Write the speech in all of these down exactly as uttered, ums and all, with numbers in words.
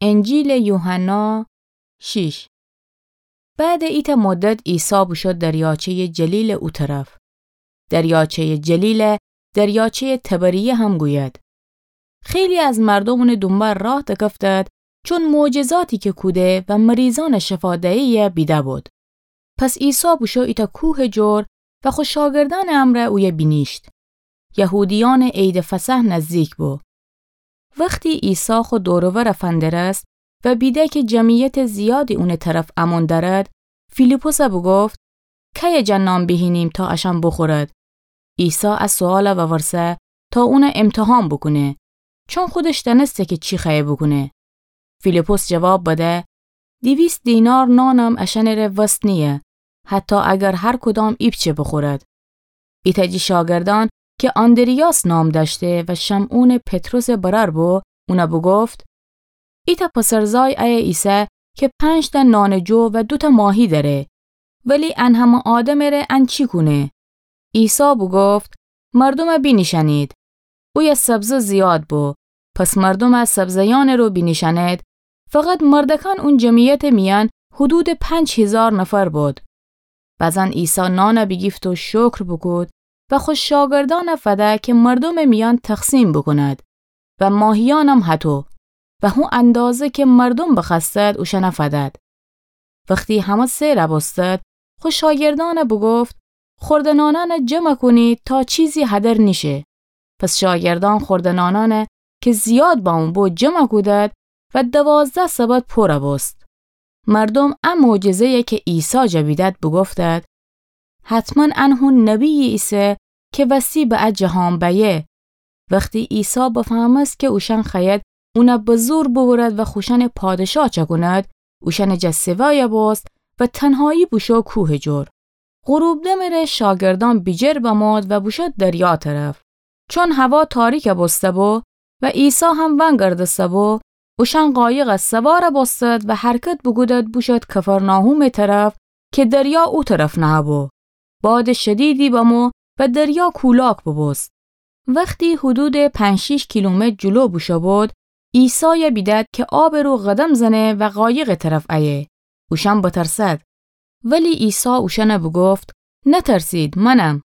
انجیلٚ یوحنا شیش. بعدٚ ایتأ مدت عیسی بوشو دریاچه‌یٚ جلیلٚ او طرف. دریاچه‌یٚ جلیل دریاچه‌یٚ طبریه هم گوید. خیلی از مردوم اونٚ دونبال راه دکفتد، چون معجزاتی که کوده و مریضأنٚ شفا دیهیی بیده بود. پس عیسی بوشو ایتأ کوهٚ جور و خو شاگردأنٚ امرأ اویه بینیشت. یهودیأنٚ عیدٚ فصح نزدیک بو. وختی عیسی خو دور و ور فندرست و بیده که جمعیتٚ زیادی اونٚ طرف امون دأرد، فیلیپسَ بوگفت: کیه جا نان بیهینیم تا اشأن بوخورد؟ عیسی ا سؤال وورسه تا اون امتحان بوکونه، چون خودش دأنسته که چی خوأیه بوکونه. فیلیپس جواب بده: دیویست دینار نانم اشأنٚره وس نییه، حتی اگر هر کدام ایپچه بوخورد. ایتأ جٚه شاگردأن که آندریاس نام دأشته و شمعونٚ پطرسٚ برأر بو، اون بوگفت: ایتأ پسرزای ایه ایسه که پنج‌تأ نانٚ جو و دوتأ ماهی دأره، ولی ان همه آدمٚره ان چی کونه؟ عیسی بوگفت: مردومَ بینیشأنید. اویه سبزه زیاد بو، پس مردومَ سبزه‌یأنٚ رو بینیشأنید. فقط مردکان اون جمعیتٚ میأن حدودٚ پنج هیزار نفر بود. بزن عیسی نانَ بیگیفت و شکر بوکود و خو شاگردأنَ فده که مردومٚ میأن تقسیم بوکوند و ماهیأنم هطو و هو اندازه که مردوم بخوأستد اوشأنَ فدد. وختی همه سئر بوستد، خو شاگردأنَ بوگفت: خورده نانأنَ جمع کونید تا چیزی هدر نیشه. پس شاگردأن خورده نانأنَ که زیاد بمو بو جمع کودد و دوازده سبد پور بوست. مردوم ا معجزه‌یَ که عیسی جا بیدد بوگفتد: حتماً ان هو نبی‌یی ایسه که وستی به ا جهان بأیه. وختی عیسی بفهمست که اوشأن خوأید اونَ به زور بوبرد و خوشأنٚ پادشاه چأکوند، اوشأنٚ جا سوأی بوست و تنهایی بوشو کوهٚ جور. غروب دمٚ ره شاگردأن بیجر بمود و بوشود دریا طرف، چون هوا تاریک بوسته بو و عیسی هم ونگردسته بو. اوشأن قایقَ سوار بوستد و حرکت بوکودد بوشود کفرناحومٚ طرف که دریا او طرف نهه‌بو. بادٚ شدیدی بمو و دریا کولاک بوبوست. وختی حدودٚ پنج شیش کیلومتر جلو بوشو بود، عیسایَ بیدد که آبٚ رو قدم زنه و قایقٚ طرف ایه. اوشأن بترسد. ولی عیسی اوشأنَ بوگفت: نترسید، منم.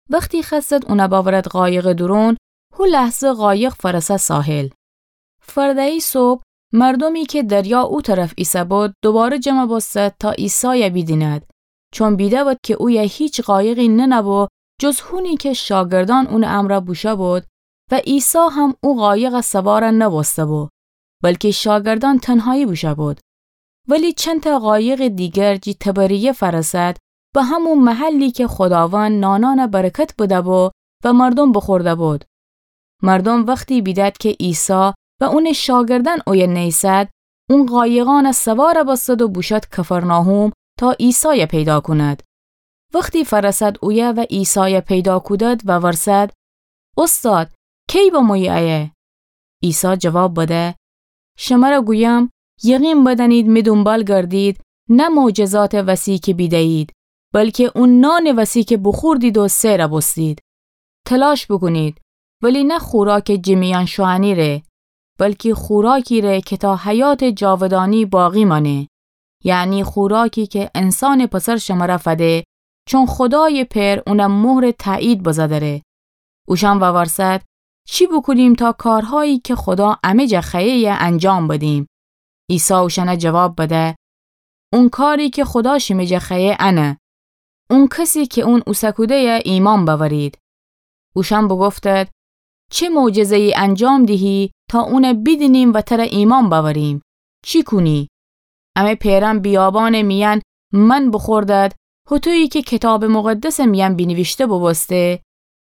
وختی خوأستد اونَ بأورد قایقٚ دورون، هو لحظه قایق فأرسه ساحل. فرده‌یی صبح، مردومی که دریا او طرف ایسه‌بود دوباره جمع بوستد تا عیسایَ بیدیند، چون بیده‌بود که اویه هیچ قایقی ننه‌بو جز هونی که شاگردأن اونٚ امرأ بوشوبود و عیسی هم او قایقَ سوار نبوسته‌بو، بلکی شاگردأن تنهایی بوشوبود. ولی چندتأ قایقٚ دیگر جٚه طبریه فأرسد، به همو محلی که خوداوند نانأنَ برکت بده‌بو و مردوم بوخورده‌بود. مردوم وختی بیدد که عیسی و اونٚ شاگردأن اویه نیسد، اون قایقأنَ سوار بوستد و بوشود کفرناحوم تا عیسایَ پیدا کوند. وختی فأرسد اویه و عیسایَ پیدا کودد وورسد: اوستاد، کی بمویی ایه؟ عیسی جواب بده: شمرَ گویم، یقین بدأنید می دونبال گردید، نه معجزاتٚ وسی که بیده‌یید، بلکی او نانٚ وسی که بوخوردید و سئر بوستید. تلاش بوکونید، ولی نه خوراکٚ جٚه میأن شوئنی ره، بلکی خوراکی ره که تا حیاتٚ جاودانی باقی مأنه، یعنی خوراکی که انسانٚ پسر شمرَ فده، چون خودایٚ پئر اونَ مهرٚ تأیید بزه دره. اوشأن وورسد: چی بوکونیم تا کارهایی که خودا امه جا خوأیه‌یه انجام بدیم؟ عیسی اوشأنَ جواب بده: اون کاری که خودا شیمه جا خوأیه انه، اون کسی که اون اوسه کوده‌یه ایمأن بأورید. اوشأن بوگفتد: چه معجزه‌یی انجام دیهی تا اونَ بیدینیم و تره ایمأن بأوریم؟ چی کونی؟ امه پئرأن بیابانٚ میأن من بوخوردد، هطویی که کیتابٚ مقدسٚ میأن بینیویشته بوبوسته: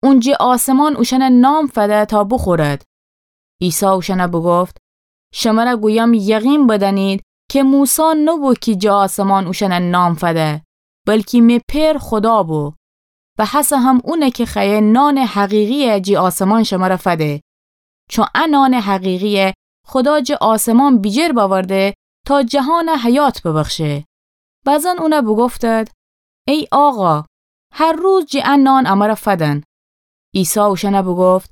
اون جٚه آسمان اوشأنَ نان فده تا بوخورد. عیسی اوشأنَ بوگفت: شمرَ گویم، یقین بدأنید که موسی نوبو کی جٚه آسمان اوشأنَ نان فده، بلکی می پئر خودا بو. و هسه هم اونه که خوأیه نانٚ حقیقی‌یَ جٚه آسمان شمرَ فده. چون ا نانٚ حقیقی‌یَ خودا جٚه آسمان بیجر بأورده تا جهانَ حیات ببخشه. بزن اونَ بوگفتد: ای آقا، هر روز جٚه ا نان امرَ فدن. عیسی اوشأنَ بوگفت: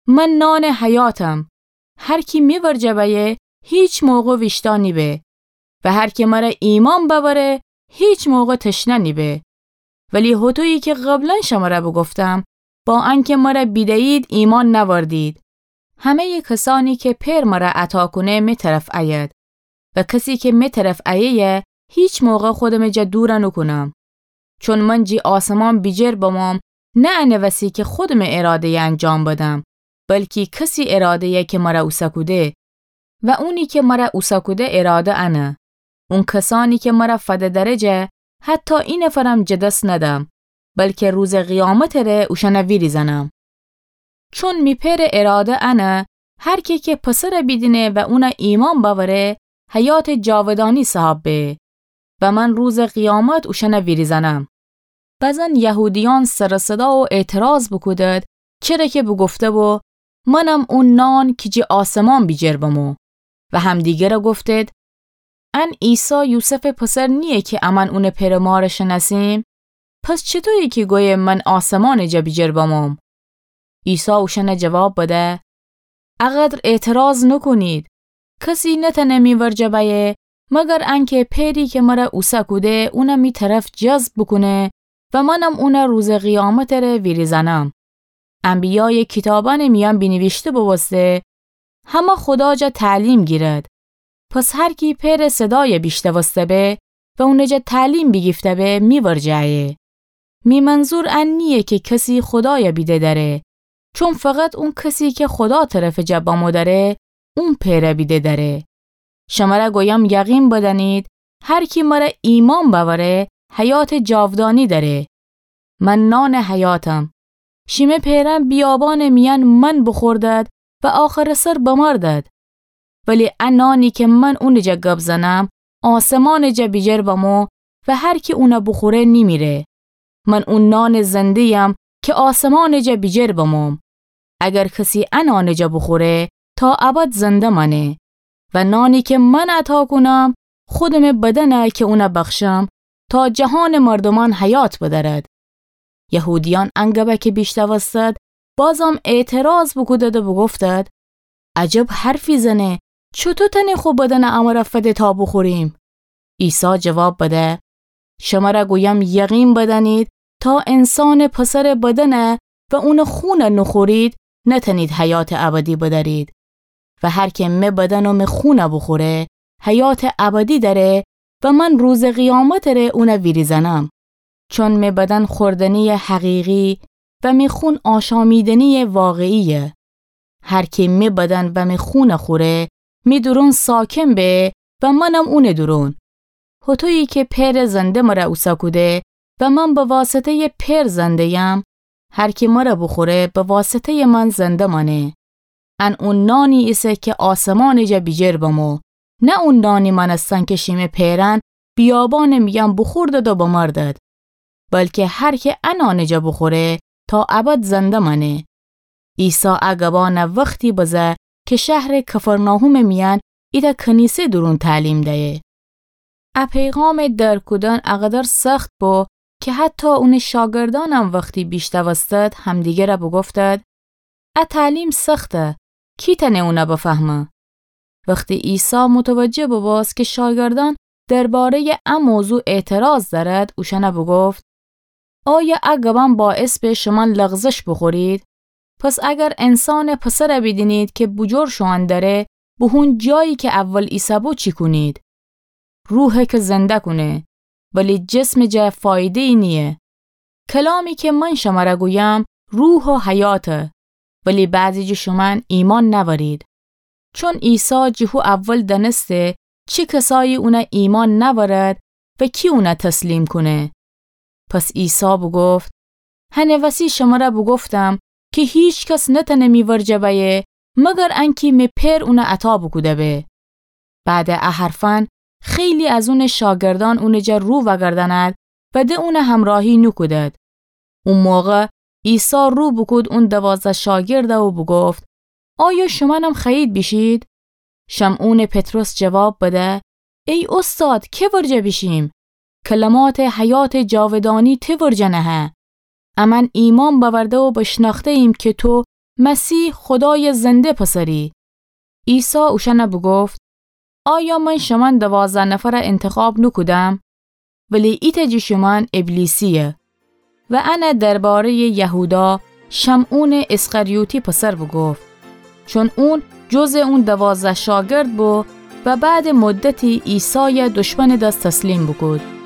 من نانٚ حیاتم. هر کی می ورجه بأیه، هیچ موقع ویشتا نیبه و هر کی مرا ایمأن بأوره، هیچ موقع تشنه نیبه. ولی هوطویی کی قبلا شمرا بوگفتم، با انکی مرا بیدهیید، ایمأن نأوردید. همه‌یٚ کسأنی کی پئر مرا عطا کونه، می طرف ایید. و کسی کی می طرف ایه‌یه، هیچ موقع خودمٚ جا دور نوکونم. چون من جی آسمان بیجیر بموم، نه انٚ وسی کی خودمٚ اراده‌یه انجام بدم، بلکی کسی اراده‌یه کی مرا اوسه کوده. و اونی کی مرا اوسه کوده اراده انه. اون کسأنی کی مرا فده دره جا، حتی اینفرم جٚه دس ندم، بلکی روزٚ قیامتٚ ره اوشأنه ویریزأنم. چون می پئرٚ اراده انه، هر کی کی پسره بیدینه و اونه ایمأن بأوره، حیاتٚ جاودانی صاحب به و من روزٚ قیامت اوشأنه ویریزأنم. بزن یهودیأن سر و صدا و اعتراض بوکودد، چره کی بوگفته‌بو، منم او نان کی جٚه آسمان بیجیر بمو. و همدیگره گفتد، ان عیسی یوسفٚ پسر نییه کی امأن اونٚ پئرٚ مارٚ شنأسیم؟ پس چطویه کی گویه من آسمانٚ جا بیجیر بموم؟ عیسی اوشأنه جواب بده، اقدر اعتراض نوکونید. کسی نتأنه می ورجه بأیه، مگر انکی پئری کی مرا اوسه کوده، اونه می طرف جذب بوکونه و منم اونه روزٚ قیامتٚ ره ویریزأنم. انبیایٚ کیتابأنٚ میأن بینیویشته بوبوسته، همه خودا جا تعلیم گیرد. پس هر کی پئرٚ صدای بیشنوسته به و اونٚ جا تعلیم بیگیفته به، می ورجه ایه. می منظور ان نییه کی کسی خودای بیده دأره، چون فقط اون کسی کی خودا طرفٚ جا بمو دأره، اون پئر بیده دأره. شمر گویم، یقین بدأنید، هر کی مر ایمأن بأوره، حیاتٚ جاودانی دأره. من نانٚ حیاتم. شیمه پئرأن بیابانٚ میأن من بوخوردد و آخرٚ سر بمردد. ولی ا نانی کی من اونٚ جا گب زنم، آسمانٚ جا بیجر بمو و هر کی اون بوخوره نیمیره. من او نانٚ زنده‌یم کی آسمانٚ جا بیجر بموم. اگر کسی ا نانٚ جا بوخوره، تا ابد زنده مأنه. و نانی کی من عطا کونم، خودمٚ بدنه کی اون بخشم، تا جهانٚ مردومأن حیات بدأرد. یهودیأن ان گبه کی بیشنوستد، بازم اعتراض بوکودد و بوگفتد، عجب حرفی زنه، چوطو تأنه خو بدن امر فده تا بوخوریم؟ عیسی جواب بده، شمر گویم، یقین بدأنید، تا انسانٚ پسرٚ بدن و اونٚ خون نوخورید، نتأنید حیاتٚ ابدی بدأرید. و هر کی می بدن و می خون بوخوره، حیاتٚ ابدی دأره و من روزٚ قیامتٚ ره اون ویریزأنم. چون می بدن خوردنیٚ حقیقی و می خون آشامیدنیٚ واقعیه. هر کی می بدن و می خون خوره، می دورون ساکن به و منم اونٚ دورون. هوطویی کی پئرٚ زنده مر اوسه کوده و من به واسطه‌یٚ پئر زنده‌یم، هر کی مر بوخوره، به واسطه‌یٚ من زنده مأنه. ان او نانی ایسه کی آسمانٚ جا بیجر بمو، نه او نانی مأنستن کی شیمه پئرأن بیابانٚ میأن بوخوردد و بمردد. بلکی هر کی ا نانٚ جا بوخوره، تا ابد زنده مأنه. عیسی ا گبأن وختی بزه کی شهرٚ کفرناحومٚ میأن ایتأ کنیسه دورون تعلیم دیه. ا پیغامٚ درک کودن اقدر سخت بو کی حتی اونٚ شاگردأنم وختی بیشنوستد، همدیگر بوگفتد، ا تعلیم سخته، کی تأنه اون بفهمه؟ وختی عیسی متوجه بوبوست کی شاگردأن درباره‌یٚ ا موضوع اعتراض دأرد، اوشأن بوگفت، آیا ا گبأن باعث به شومأن لغزش بوخورید؟ پس اگر انسانٚ پسر بیدینید کی بوجور شوئن دره، بوهون جایی کی اول ایسه‌بو چی کونید؟ روحه کی زنده کونه، ولی جسمٚ جا فایده‌یی نییه. کلامی کی من شمر گویم، روح و حیاته، ولی بعضی جٚه شومأن ایمأن نأورید. چون عیسی جٚه هو اول دأنسته چی کسایی اون ایمأن نأورد و کی اون تسلیم کونه. پس عیسی بوگفت، هنٚ وسی شمر بوگفتم کی هیکس نتأنه می ورجه بأیه، مگر انکی می پئر اون عطا بوکوده به. بعدٚ ا حرفأن خیلی از اونٚ شاگردأن اونٚ جا رو وأگردأند و ده اون همراهی نوکودد. او موقع عیسی رو بوکود اون دوازده شاگرد و بوگفت، آیا شومأنم خوأیید بیشید؟ شمعونٚ پطرس جواب بده، ای اوستاد، کی ورجه بیشیم؟ کلماتٚ حیاتٚ جاودانی تی ورجه نهه. امأن ایمأن بأورده و بشنأخته‌ییم کی تو مسیح، خودایٚ زنده پسری. عیسی اوشأن بوگفت، آیا من شمن دوازده نفر انتخاب نوکودم؟ ولی ایتأ جٚه شمن ابلیسییه. و انه درباره‌یٚ یهودا، شمعونٚ اسخریوطی پسر بوگفت، چون اون جزٚ اون دوازده شاگرد بو و بعدٚ مدتی عیسای دشمنٚ دس تسلیم بوکود.